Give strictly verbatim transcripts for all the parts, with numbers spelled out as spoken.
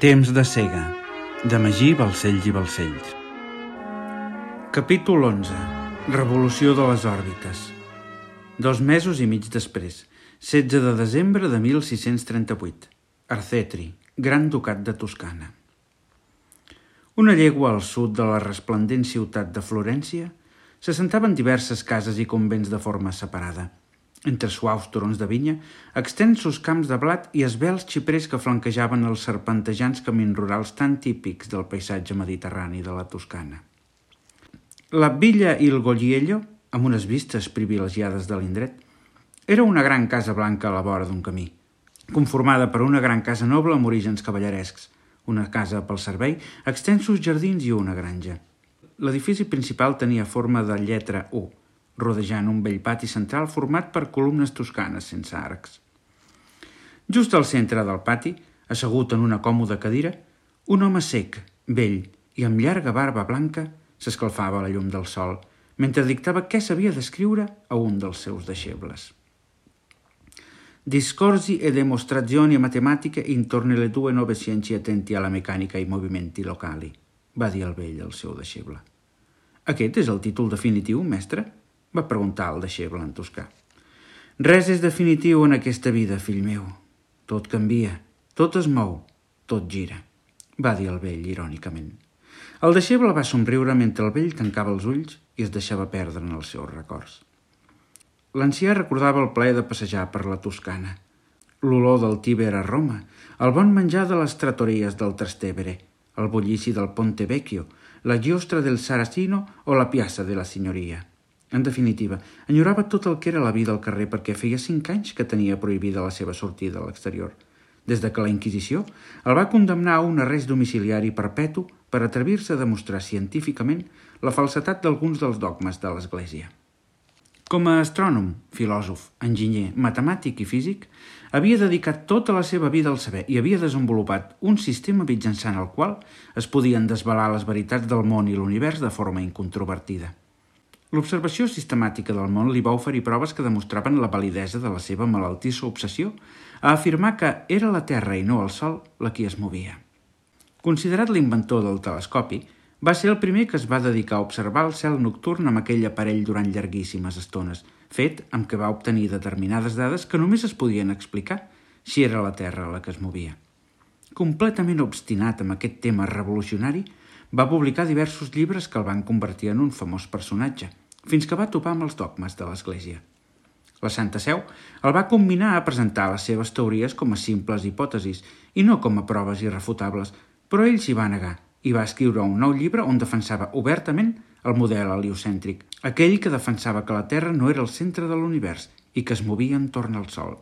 Temps de cega, de Magí Balcells i Balcells. Capítol onze. Revolució de les òrbites. Dos mesos i mig després, setze de desembre de mil sis-cents trenta-vuit. Arcetri, Gran Ducat de Toscana. Una llegua al sud de la resplendent ciutat de Florència s'assentaven diverses cases i convents de forma separada. Entre suaus turons de vinya, extensos camps de blat i esvelts xiprers que flanquejaven els serpentejants camins rurals tan típics del paisatge mediterrani de la Toscana. La Villa il Goliello, amb unes vistes privilegiades de l'indret, era una gran casa blanca a la vora d'un camí, conformada per una gran casa noble amb orígens cavallerescs, una casa pel servei, extensos jardins i una granja. L'edifici principal tenia forma de lletra U, rodejant un vell pati central format per columnes toscanes sense arcs. Just al centre del pati, assegut en una còmoda cadira, un home sec, vell i amb llarga barba blanca s'escalfava a la llum del sol, mentre dictava què s'havia d'escriure a un dels seus deixebles. Discorsi e demostrazioni matematiche intorno alle due nuove scienze attenti alla meccanica e ai movimenti locali, va dir el vell al seu deixeble. Aquest és el títol definitiu, mestre? Va preguntar el deixeble en toscà. Res és definitiu en aquesta vida, fill meu. Tot canvia, tot es mou, tot gira, va dir el vell irònicament. El deixeble va somriure mentre el vell tancava els ulls i es deixava perdre en els seus records. L'ancià recordava el plaer de passejar per la Toscana, l'olor del Tíber a Roma, el bon menjar de les trattories del Trastevere, el bullici del Ponte Vecchio, la giostra del Saracino o la Piazza de la Signoria. En definitiva, enyorava tot el que era la vida al carrer perquè feia cinc anys que tenia prohibida la seva sortida a l'exterior, des de que la Inquisició el va condemnar a un arrest domiciliari perpetu per atrevir-se a demostrar científicament la falsetat d'alguns dels dogmes de l'Església. Com a astrònom, filòsof, enginyer, matemàtic i físic, havia dedicat tota la seva vida al saber i havia desenvolupat un sistema mitjançant el qual es podien desvelar les veritats del món i l'univers de forma incontrovertida. L'observació sistemàtica del món li va oferir proves que demostraven la validesa de la seva malaltissa obsessió a afirmar que era la Terra i no el Sol la qui es movia. Considerat l'inventor del telescopi, va ser el primer que es va dedicar a observar el cel nocturn amb aquell aparell durant llarguíssimes estones, fet amb què va obtenir determinades dades que només es podien explicar si era la Terra la que es movia. Completament obstinat amb aquest tema revolucionari, va publicar diversos llibres que el van convertir en un famós personatge, fins que va topar amb els dogmes de l'Església. La Santa Seu el va combinar a presentar les seves teories com a simples hipòtesis i no com a proves irrefutables, però ell s'hi va negar i va escriure un nou llibre on defensava obertament el model heliocèntric, aquell que defensava que la Terra no era el centre de l'univers i que es movia entorn al Sol.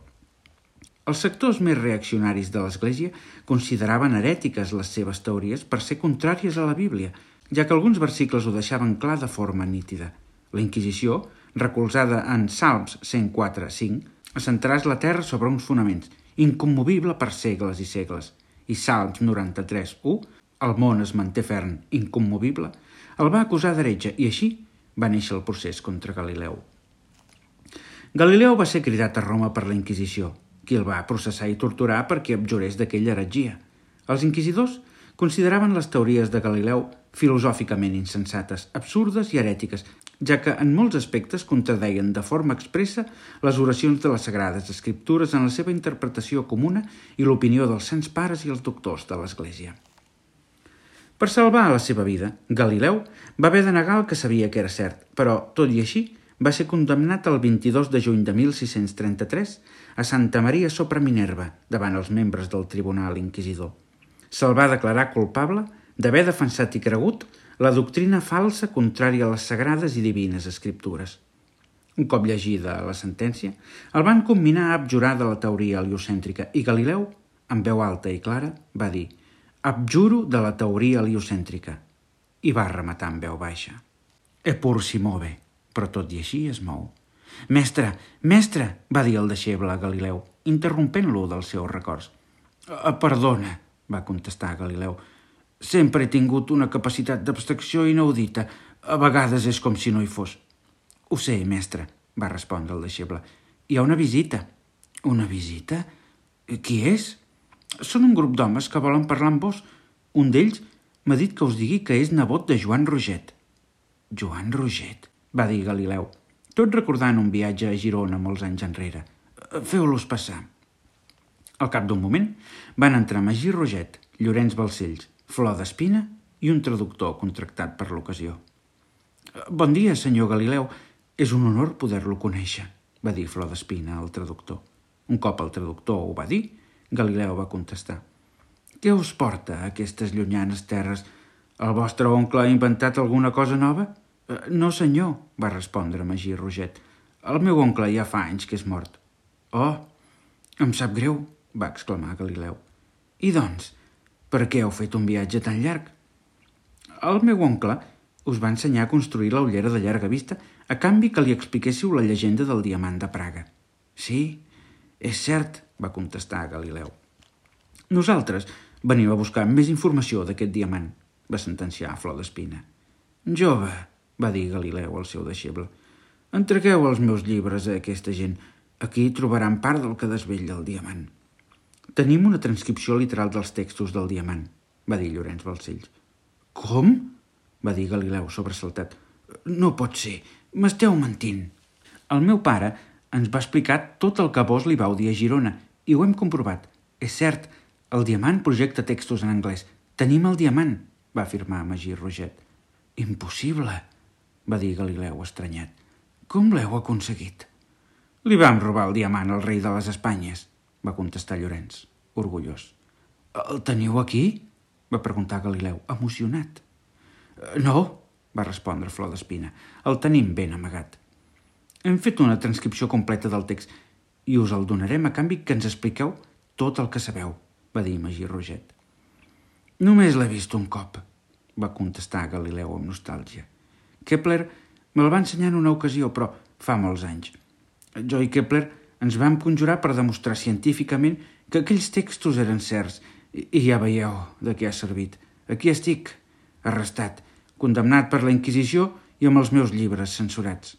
Els sectors més reaccionaris de l'Església consideraven herètiques les seves teories per ser contràries a la Bíblia, ja que alguns versicles ho deixaven clar de forma nítida. La Inquisició, recolzada en Salms cent quatre cinc, assentaràs la terra sobre uns fonaments, incommovible per segles i segles, i Salms noranta-tres u, el món es manté ferm, incommovible, el va acusar d'heretge i així va néixer el procés contra Galileu. Galileu va ser cridat a Roma per la Inquisició, qui el va processar i torturar perquè abjurés d'aquella heretgia. Els inquisidors consideraven les teories de Galileu filosòficament insensates, absurdes i herètiques, ja que en molts aspectes contradeien de forma expressa les oracions de les Sagrades Escriptures en la seva interpretació comuna i l'opinió dels sants pares i els doctors de l'Església. Per salvar la seva vida, Galileu va haver de negar el que sabia que era cert, però, tot i així, va ser condemnat el vint-i-dos de juny de mil sis-cents trenta-tres a Santa Maria sopra Minerva, davant els membres del Tribunal Inquisidor. Se'l va declarar culpable d'haver defensat i cregut la doctrina falsa contrària a les sagrades i divines escriptures. Un cop llegida la sentència, el van comminar a abjurar de la teoria heliocèntrica i Galileu, amb veu alta i clara, va dir «Abjuro de la teoria heliocèntrica» i va rematar amb veu baixa. «Eppur si move», però tot i així es mou. «Mestre, mestre», va dir el deixeble a Galileu, interrompent-lo dels seus records. «Perdona», va contestar Galileu, «sempre he tingut una capacitat d'abstracció inaudita. A vegades és com si no hi fos». «Ho sé, mestre», va respondre el deixeble. «Hi ha una visita». «Una visita? Qui és?» Són un grup d'homes que volen parlar amb vos. Un d'ells m'ha dit que us digui que és nebot de Joan Roget. Joan Roget, va dir Galileu, tot recordant un viatge a Girona molts anys enrere. Feu-los passar. Al cap d'un moment van entrar Magí Roget, Llorenç Balcells, Flor d'Espina i un traductor contractat per l'ocasió. Bon dia, senyor Galileu. És un honor poder-lo conèixer, va dir Flor d'Espina al traductor. Un cop el traductor ho va dir, Galileu va contestar. Què us porta a aquestes llunyanes terres? El vostre oncle ha inventat alguna cosa nova? No, senyor, va respondre Magí Roget. El meu oncle ja fa anys que és mort. Oh, em sap greu, va exclamar Galileu. I doncs, per què heu fet un viatge tan llarg? El meu oncle us va ensenyar a construir la ullera de llarga vista a canvi que li expliquéssiu la llegenda del diamant de Praga. Sí, és cert, va contestar Galileu. Nosaltres venim a buscar més informació d'aquest diamant, va sentenciar Flor d'Espina. Jove, va dir Galileu al seu deixeble, entregueu els meus llibres a aquesta gent. Aquí trobaran part del que desvetlla el diamant. Tenim una transcripció literal dels textos del diamant, va dir Llorenç Balcells. Com? Va dir Galileu sobresaltat. No pot ser, m'esteu mentint. El meu pare ens va explicar tot el que vos li vau dir a Girona i ho hem comprovat. És cert, el diamant projecta textos en anglès. Tenim el diamant, va afirmar Magí Roget. Impossible, va dir Galileu estranyat. Com l'heu aconseguit? Li vam robar el diamant al rei de les Espanyes, va contestar Llorenç, orgullós. El teniu aquí? Va preguntar Galileu, emocionat. No, va respondre Flor d'Espina. El tenim ben amagat. Hem fet una transcripció completa del text i us el donarem a canvi que ens expliqueu tot el que sabeu, va dir Magí Roget. Només l'he vist un cop, va contestar Galileu amb nostàlgia. Kepler me'l va ensenyar en una ocasió, però fa molts anys. Jo i Kepler ens vam conjurar per demostrar científicament que aquells textos eren certs i ja veieu de què ha servit. Aquí estic, arrestat, condemnat per la Inquisició i amb els meus llibres censurats.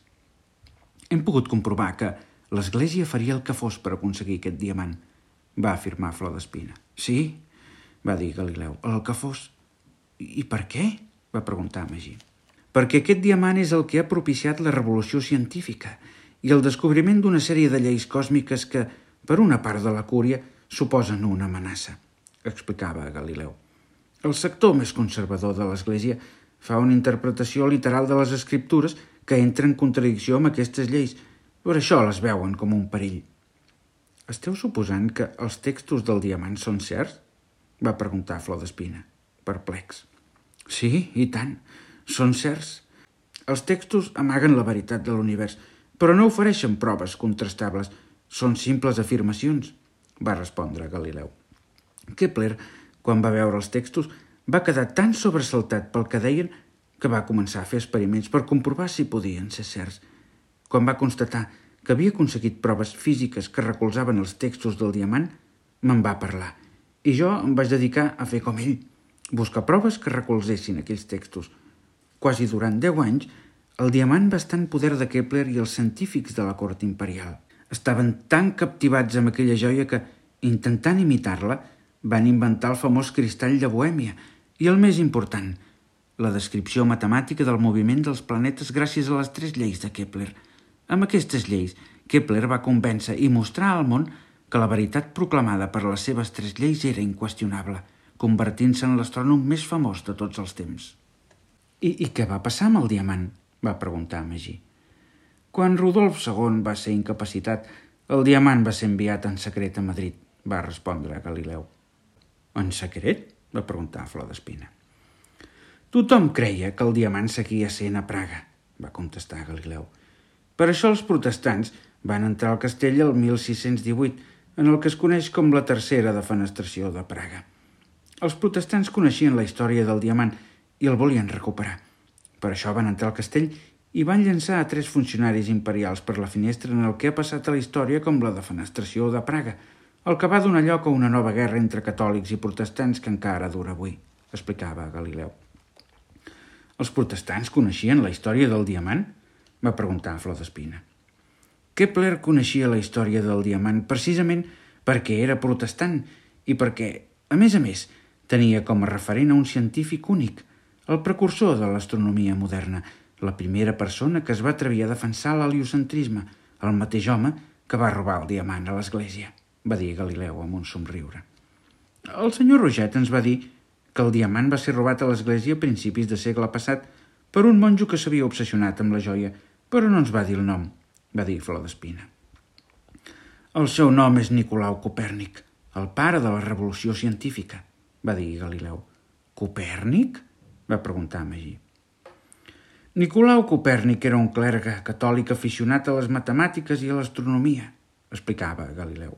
Hem pogut comprovar que l'Església faria el que fos per aconseguir aquest diamant, va afirmar Flor d'Espina. Sí, va dir Galileu, el que fos. I per què? Va preguntar Magí. Perquè aquest diamant és el que ha propiciat la revolució científica i el descobriment d'una sèrie de lleis còsmiques que, per una part de la cúria, suposen una amenaça, explicava Galileu. El sector més conservador de l'Església fa una interpretació literal de les escriptures que entra en contradicció amb aquestes lleis. Per això les veuen com un perill. Esteu suposant que els textos del diamant són certs? Va preguntar Flor d'Espina, perplex. Sí, i tant. Són certs. Els textos amaguen la veritat de l'univers, però no ofereixen proves contrastables. Són simples afirmacions, va respondre Galileu. Kepler, quan va veure els textos, va quedar tan sobresaltat pel que deien que va començar a fer experiments per comprovar si podien ser certs. Quan va constatar que havia aconseguit proves físiques que recolzaven els textos del diamant, me'n va parlar, i jo em vaig dedicar a fer com ell, buscar proves que recolzessin aquells textos. Quasi durant deu anys, el diamant va estar en poder de Kepler i els científics de la cort imperial. Estaven tan captivats amb aquella joia que, intentant imitar-la, van inventar el famós cristall de Bohèmia i, el més important, la descripció matemàtica del moviment dels planetes gràcies a les tres lleis de Kepler. Amb aquestes lleis, Kepler va convèncer i mostrar al món que la veritat proclamada per les seves tres lleis era inqüestionable, convertint-se en l'astrònom més famós de tots els temps. I, I què va passar amb el diamant? Va preguntar Magí. Quan Rodolf segon va ser incapacitat, el diamant va ser enviat en secret a Madrid, va respondre Galileu. En secret? Va preguntar Flor d'Espina. Tothom creia que el diamant seguia sent a Praga, va contestar Galileu. Per això els protestants van entrar al castell el mil sis-cents divuit, en el que es coneix com la tercera defenestració de Praga. Els protestants coneixien la història del diamant i el volien recuperar. Per això van entrar al castell i van llançar a tres funcionaris imperials per la finestra en el que ha passat a la història com la defenestració de Praga, el que va donar lloc a una nova guerra entre catòlics i protestants que encara dura avui, explicava Galileu. Els protestants coneixien la història del diamant? Va preguntar Flor d'Espina. Kepler coneixia la història del diamant precisament perquè era protestant i perquè, a més a més, tenia com a referent a un científic únic, el precursor de l'astronomia moderna, la primera persona que es va atrevir a defensar l'heliocentrisme, el mateix home que va robar el diamant a l'església, va dir Galileu amb un somriure. El senyor Roget ens va dir que el diamant va ser robat a l'església a principis de segle passat per un monjo que s'havia obsessionat amb la joia, però no ens va dir el nom, va dir Flor d'Espina. El seu nom és Nicolau Copèrnic, el pare de la revolució científica, va dir Galileu. Copèrnic? Va preguntar Magí. Nicolau Copèrnic era un clergue catòlic aficionat a les matemàtiques i a l'astronomia, explicava Galileu.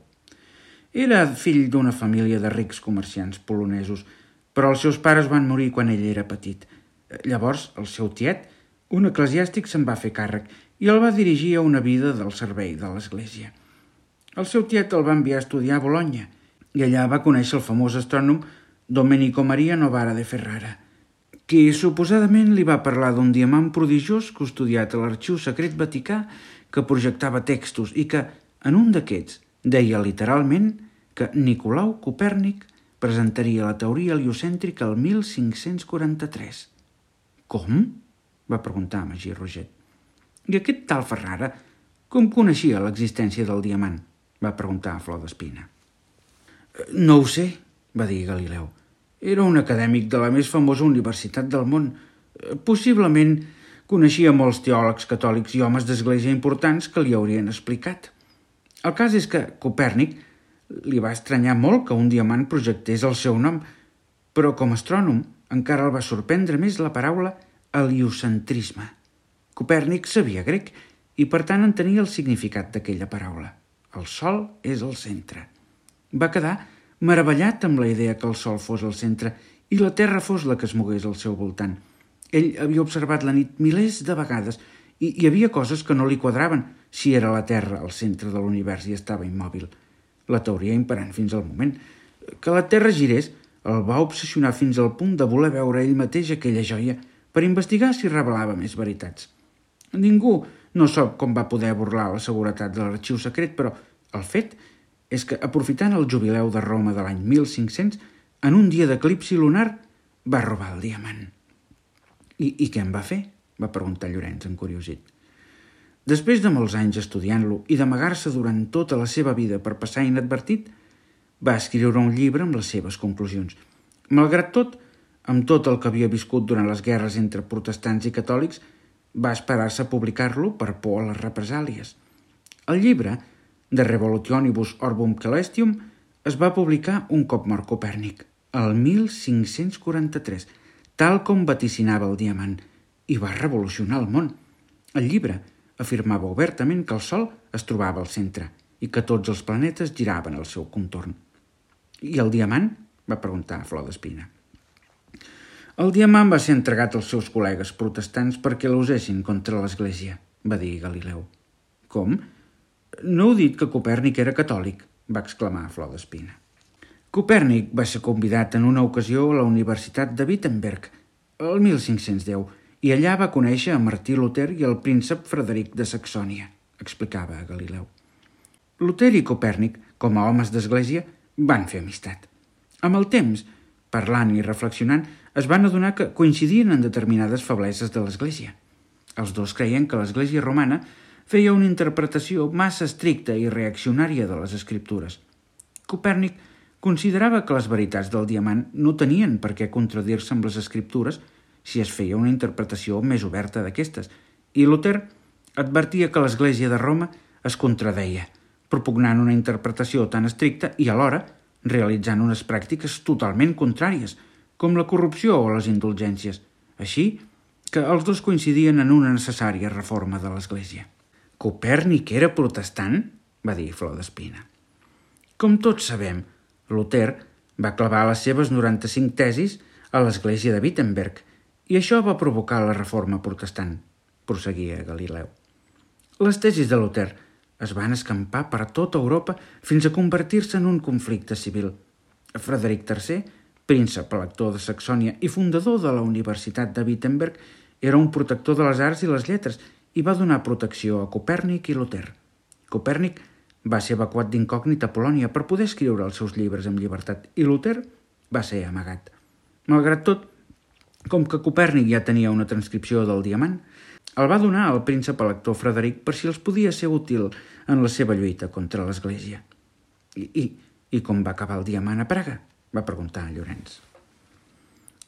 Era fill d'una família de rics comerciants polonesos, però els seus pares van morir quan ell era petit. Llavors, el seu tiet, un eclesiàstic, se'n va fer càrrec i el va dirigir a una vida del servei de l'església. El seu tiet el va enviar a estudiar a Bologna i allà va conèixer el famós astrònom Domenico Maria Novara de Ferrara, qui suposadament li va parlar d'un diamant prodigiós custodiat a l'Arxiu Secret Vaticà que projectava textos i que, en un d'aquests, deia literalment que Nicolau Copèrnic presentaria la teoria heliocèntrica el mil cinc-cents quaranta-tres. Com? Va preguntar Magí Roget. I aquest tal Ferrara com coneixia l'existència del diamant? Va preguntar Flor d'Espina. No ho sé, va dir Galileu. Era un acadèmic de la més famosa universitat del món. Possiblement coneixia molts teòlegs catòlics i homes d'església importants que li haurien explicat. El cas és que Copèrnic li va estranyar molt que un diamant projectés el seu nom, però com a astrònom encara el va sorprendre més la paraula heliocentrisme. Copèrnic sabia grec i per tant entenia el significat d'aquella paraula. El sol és el centre. Va quedar meravellat amb la idea que el sol fos el centre i la terra fos la que es mogués al seu voltant. Ell havia observat la nit milers de vegades i hi havia coses que no li quadraven si era la terra al centre de l'univers i estava immòbil. La teoria imperant fins al moment. Que la terra girés el va obsessionar fins al punt de voler veure ell mateix aquella joia per investigar si revelava més veritats. Ningú no sap com va poder burlar la seguretat de l'arxiu secret, però el fet és que, aprofitant el jubileu de Roma de l'any mil cinc-cents, en un dia d'eclipsi lunar, va robar el diamant. I, I què en va fer? Va preguntar Llorenç, encuriosit. Després de molts anys estudiant-lo i d'amagar-se durant tota la seva vida per passar inadvertit, va escriure un llibre amb les seves conclusions. Malgrat tot, amb tot el que havia viscut durant les guerres entre protestants i catòlics, va esperar-se a publicar-lo per por a les represàlies. El llibre, De Revolutionibus Orbum Celestium, es va publicar un cop mort Copèrnic, el mil cinc-cents quaranta-tres, tal com vaticinava el diamant, i va revolucionar el món. El llibre afirmava obertament que el Sol es trobava al centre i que tots els planetes giraven al seu contorn. I el diamant? Va preguntar Flor d'Espina. El diamant va ser entregat als seus col·legues protestants perquè l'usessin contra l'Església, va dir Galileu. Com? No heu dit que Copèrnic era catòlic, va exclamar Flor d'Espina. Copèrnic va ser convidat en una ocasió a la Universitat de Wittenberg, el mil cinc-cents deu, i allà va conèixer a Martí Luter i el príncep Frederic de Saxònia, explicava Galileu. Luter i Copèrnic, com a homes d'església, van fer amistat. Amb el temps, parlant i reflexionant, es van adonar que coincidien en determinades febleses de l'Església. Els dos creien que l'Església romana feia una interpretació massa estricta i reaccionària de les escriptures. Copèrnic considerava que les veritats del diamant no tenien per què contradir-se amb les escriptures si es feia una interpretació més oberta d'aquestes, i Luter advertia que l'Església de Roma es contradeia, propugnant una interpretació tan estricta i alhora realitzant unes pràctiques totalment contràries, com la corrupció o les indulgències. Així que els dos coincidien en una necessària reforma de l'Església. Copèrnic era protestant? Va dir Flor d'Espina. Com tots sabem, Luter va clavar les seves noranta-cinc tesis a l'Església de Wittenberg i això va provocar la reforma protestant, prosseguia Galileu. Les tesis de Luter es van escampar per tota Europa fins a convertir-se en un conflicte civil. Frederic tercer, príncep elector de Saxònia i fundador de la Universitat de Wittenberg, era un protector de les arts i les lletres i va donar protecció a Copèrnic i Luter. Copèrnic va ser evacuat d'incògnit a Polònia per poder escriure els seus llibres amb llibertat i Luter va ser amagat. Malgrat tot, com que Copèrnic ja tenia una transcripció del diamant, el va donar al príncep elector Frederic per si els podia ser útil en la seva lluita contra l'Església. I, i, i com va acabar el diamant a Praga? Va preguntar Llorenç.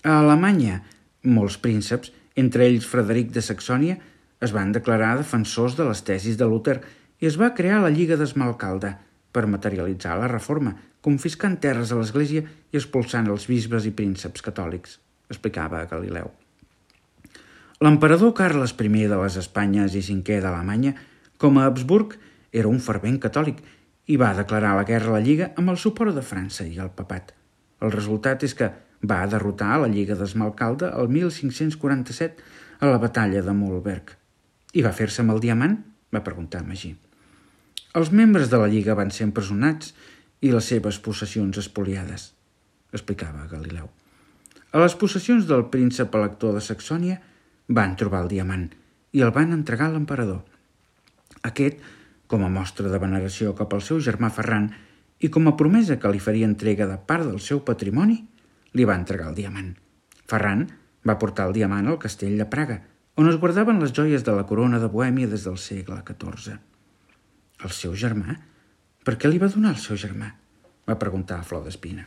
A Alemanya, molts prínceps, entre ells Frederic de Saxònia, es van declarar defensors de les tesis de Luter i es va crear la Lliga d'Esmalcalda per materialitzar la reforma, confiscant terres a l'Església i expulsant els bisbes i prínceps catòlics, explicava Galileu. L'emperador Carles I de les Espanyes i cinquè d'Alemanya, com a Habsburg, era un fervent catòlic i va declarar la guerra a la Lliga amb el suport de França i el papat. El resultat és que va derrotar la Lliga d'Esmalcalda el mil cinc-cents quaranta-set a la batalla de Mühlberg. I va fer-se amb el diamant? Va preguntar Magí. Els membres de la Lliga van ser empresonats i les seves possessions espoliades, explicava Galileu. A les possessions del príncep elector de Saxònia van trobar el diamant i el van entregar a l'emperador. Aquest, com a mostra de veneració cap al seu germà Ferran i com a promesa que li faria entrega de part del seu patrimoni, li va entregar el diamant. Ferran va portar el diamant al castell de Praga, on es guardaven les joies de la corona de Bohèmia des del segle catorze. El seu germà? Per què li va donar el seu germà? Va preguntar Flor d'Espina.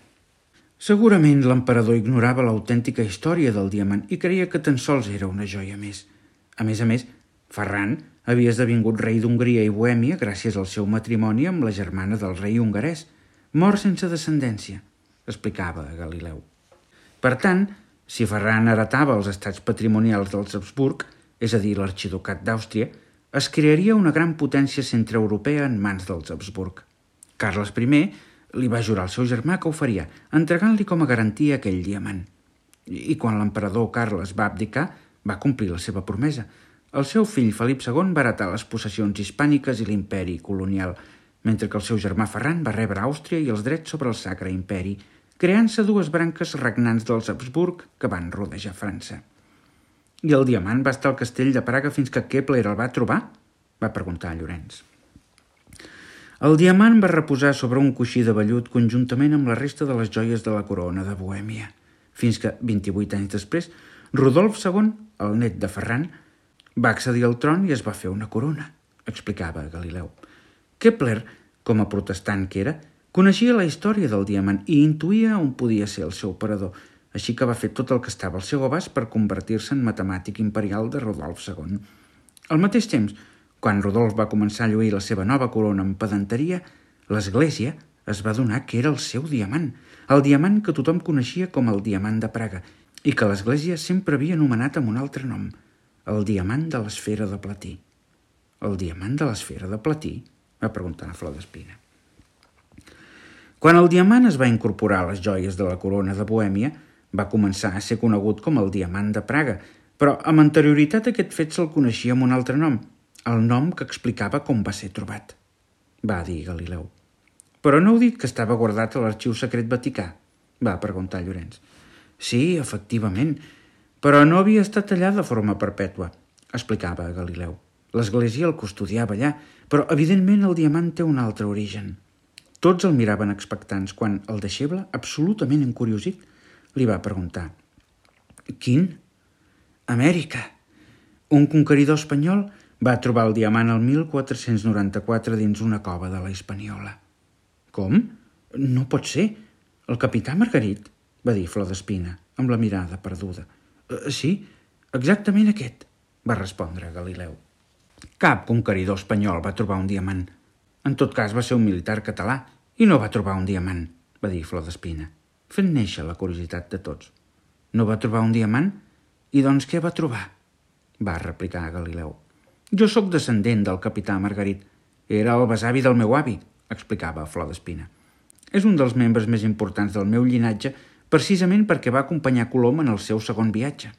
Segurament l'emperador ignorava l'autèntica història del diamant i creia que tan sols era una joia més. A més a més, Ferran havia esdevingut rei d'Hongria i Bohèmia gràcies al seu matrimoni amb la germana del rei hongarès, mort sense descendència, explicava Galileu. Per tant, si Ferran heretava els estats patrimonials dels Habsburg, és a dir, l'arxiducat d'Àustria, es crearia una gran potència centreeuropea en mans dels Habsburg. Carles I li va jurar al seu germà que ho faria, entregant-li com a garantia aquell diamant. I quan l'emperador Carles va abdicar, va complir la seva promesa. El seu fill Felip segon va heretar les possessions hispàniques i l'imperi colonial, mentre que el seu germà Ferran va rebre Àustria i els drets sobre el Sacre Imperi, creant-se dues branques regnants dels Habsburg que van rodejar França. I el diamant va estar al castell de Praga fins que Kepler el va trobar? Va preguntar Llorenç. El diamant va reposar sobre un coixí de vellut conjuntament amb la resta de les joies de la corona de Bohèmia, fins que, vint-i-vuit anys després, Rodolf segon, el net de Ferran, va accedir al tron i es va fer una corona, explicava Galileu. Kepler, com a protestant que era, coneixia la història del diamant i intuïa on podia ser el seu parador, així que va fer tot el que estava al seu abast per convertir-se en matemàtic imperial de Rodolf segon. Al mateix temps, quan Rodolf va començar a lluir la seva nova corona amb pedanteria, l'Església es va adonar que era el seu diamant, el diamant que tothom coneixia com el diamant de Praga i que l'Església sempre havia anomenat amb un altre nom, el diamant de l'esfera de platí. El diamant de l'esfera de platí? Va preguntar Flor d'Espina. Quan el diamant es va incorporar a les joies de la corona de Bohèmia, va començar a ser conegut com el diamant de Praga, però amb anterioritat aquest fet se'l coneixia amb un altre nom, el nom que explicava com va ser trobat, va dir Galileu. Però no heu dit que estava guardat a l'Arxiu Secret Vaticà? Va preguntar Llorenç. Sí, efectivament, però no havia estat allà de forma perpètua, explicava Galileu. L'Església el custodiava allà, però evidentment el diamant té un altre origen. Tots el miraven expectants quan el deixeble, absolutament encuriosit, li va preguntar. Quin? Amèrica. Un conqueridor espanyol va trobar el diamant el mil quatre-cents noranta-quatre dins una cova de la Hispaniola. Com? No pot ser. El capità Margarit, va dir Flor d'Espina, amb la mirada perduda. E, sí, exactament aquest, va respondre Galileu. Cap conqueridor espanyol va trobar un diamant. En tot cas va ser un militar català i no va trobar un diamant, va dir Flor d'Espina, fent néixer la curiositat de tots. No va trobar un diamant? I doncs què va trobar? Va replicar Galileu. Jo sóc descendent del capità Margarit. Era el besavi del meu avi, explicava Flor d'Espina. És un dels membres més importants del meu llinatge precisament perquè va acompanyar Colom en el seu segon viatge.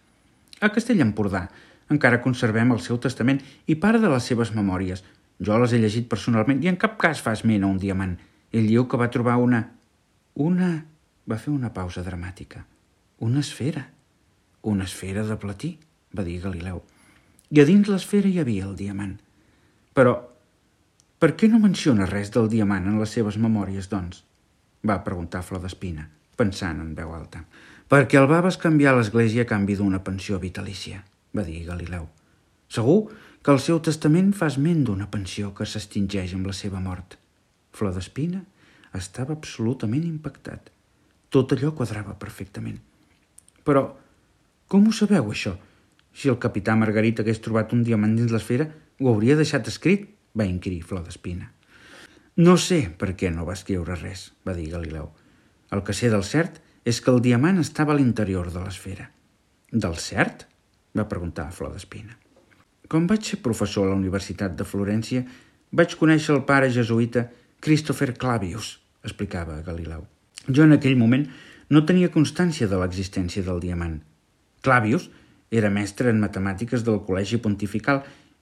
A Castell Empordà encara conservem el seu testament i part de les seves memòries. Jo les he llegit personalment i en cap cas fa esment a un diamant. Ell diu que va trobar una... Una... Va fer una pausa dramàtica. Una esfera. Una esfera de platí, va dir Galileu. I a dins l'esfera hi havia el diamant. Però Per què no menciona res del diamant en les seves memòries, doncs? Va preguntar Flor d'Espina, pensant en veu alta. Perquè el va bescanviar a l'església a canvi d'una pensió vitalícia, va dir Galileu. Segur que el seu testament fa esment d'una pensió que s'extingeix amb la seva mort. Flor d'Espina estava absolutament impactat. Tot allò quadrava perfectament. Però, com ho sabeu, això? Si el capità Margarit hagués trobat un diamant dins l'esfera, ho hauria deixat escrit, va inquirir Flor d'Espina. No sé per què no va escriure res, va dir Galileu. El que sé del cert és que el diamant estava a l'interior de l'esfera. Del cert? Va preguntar Flor d'Espina. Quan vaig ser professor a la Universitat de Florència, vaig conèixer el pare jesuïta Christopher Clavius, explicava Galileu. Jo en aquell moment no tenia constància de l'existència del diamant. Clavius era mestre en matemàtiques del Col·legi Pontifical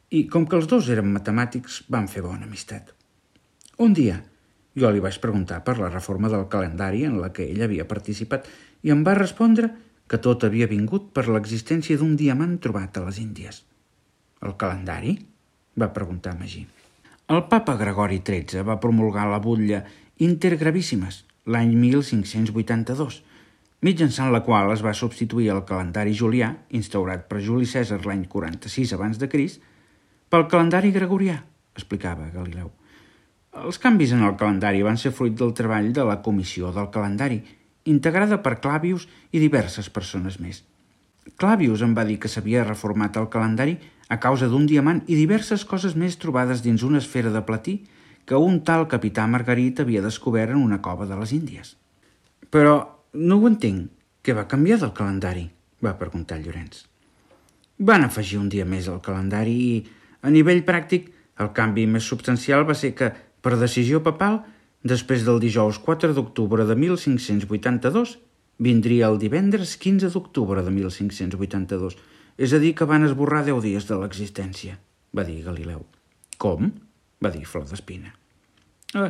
i, com que els dos eren matemàtics, van fer bona amistat. Un dia, jo li vaig preguntar per la reforma del calendari en la que ell havia participat i em va respondre que tot havia vingut per l'existència d'un diamant trobat a les Índies. El calendari? Va preguntar Magí. El papa Gregori tretze va promulgar la butlla Inter Gravissimas l'any mil cinc-cents vuitanta-dos, mitjançant la qual es va substituir el calendari julià, instaurat per Juli Cèsar l'any quaranta-sis abans de Crist, pel calendari gregorià, explicava Galileu. Els canvis en el calendari van ser fruit del treball de la Comissió del Calendari, integrada per Clavius i diverses persones més. Clavius em va dir que s'havia reformat el calendari a causa d'un diamant i diverses coses més trobades dins una esfera de platí que un tal capità Margarit havia descobert en una cova de les Índies. Però no ho entenc. Què va canviar del calendari? Va preguntar Llorenç. Van afegir un dia més al calendari i, a nivell pràctic, el canvi més substancial va ser que, per decisió papal, després del dijous quatre d'octubre de mil cinc-cents vuitanta-dos, vindria el divendres quinze d'octubre de mil cinc-cents vuitanta-dos, és a dir, que van esborrar deu dies de l'existència, va dir Galileu. Com? Va dir Flor d'Espina. Eh,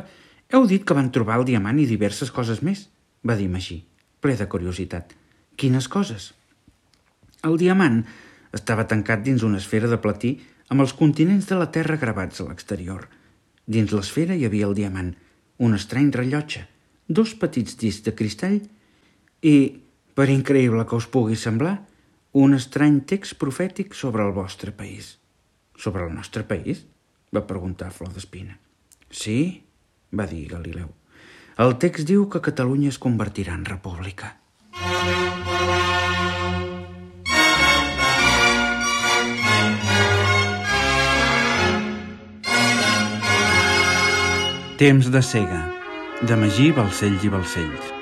heu dit que van trobar el diamant i diverses coses més, va dir Magí, ple de curiositat. Quines coses? El diamant estava tancat dins una esfera de platí amb els continents de la Terra gravats a l'exterior. Dins l'esfera hi havia el diamant, un estrany rellotge, dos petits discs de cristall i, per increïble que us pugui semblar, un estrany text profètic sobre el vostre país. Sobre el nostre país? Va preguntar Flor d'Espina. Sí, va dir Galileu. El text diu que Catalunya es convertirà en república. Temps de cega, de Magí Balcells i Balcells.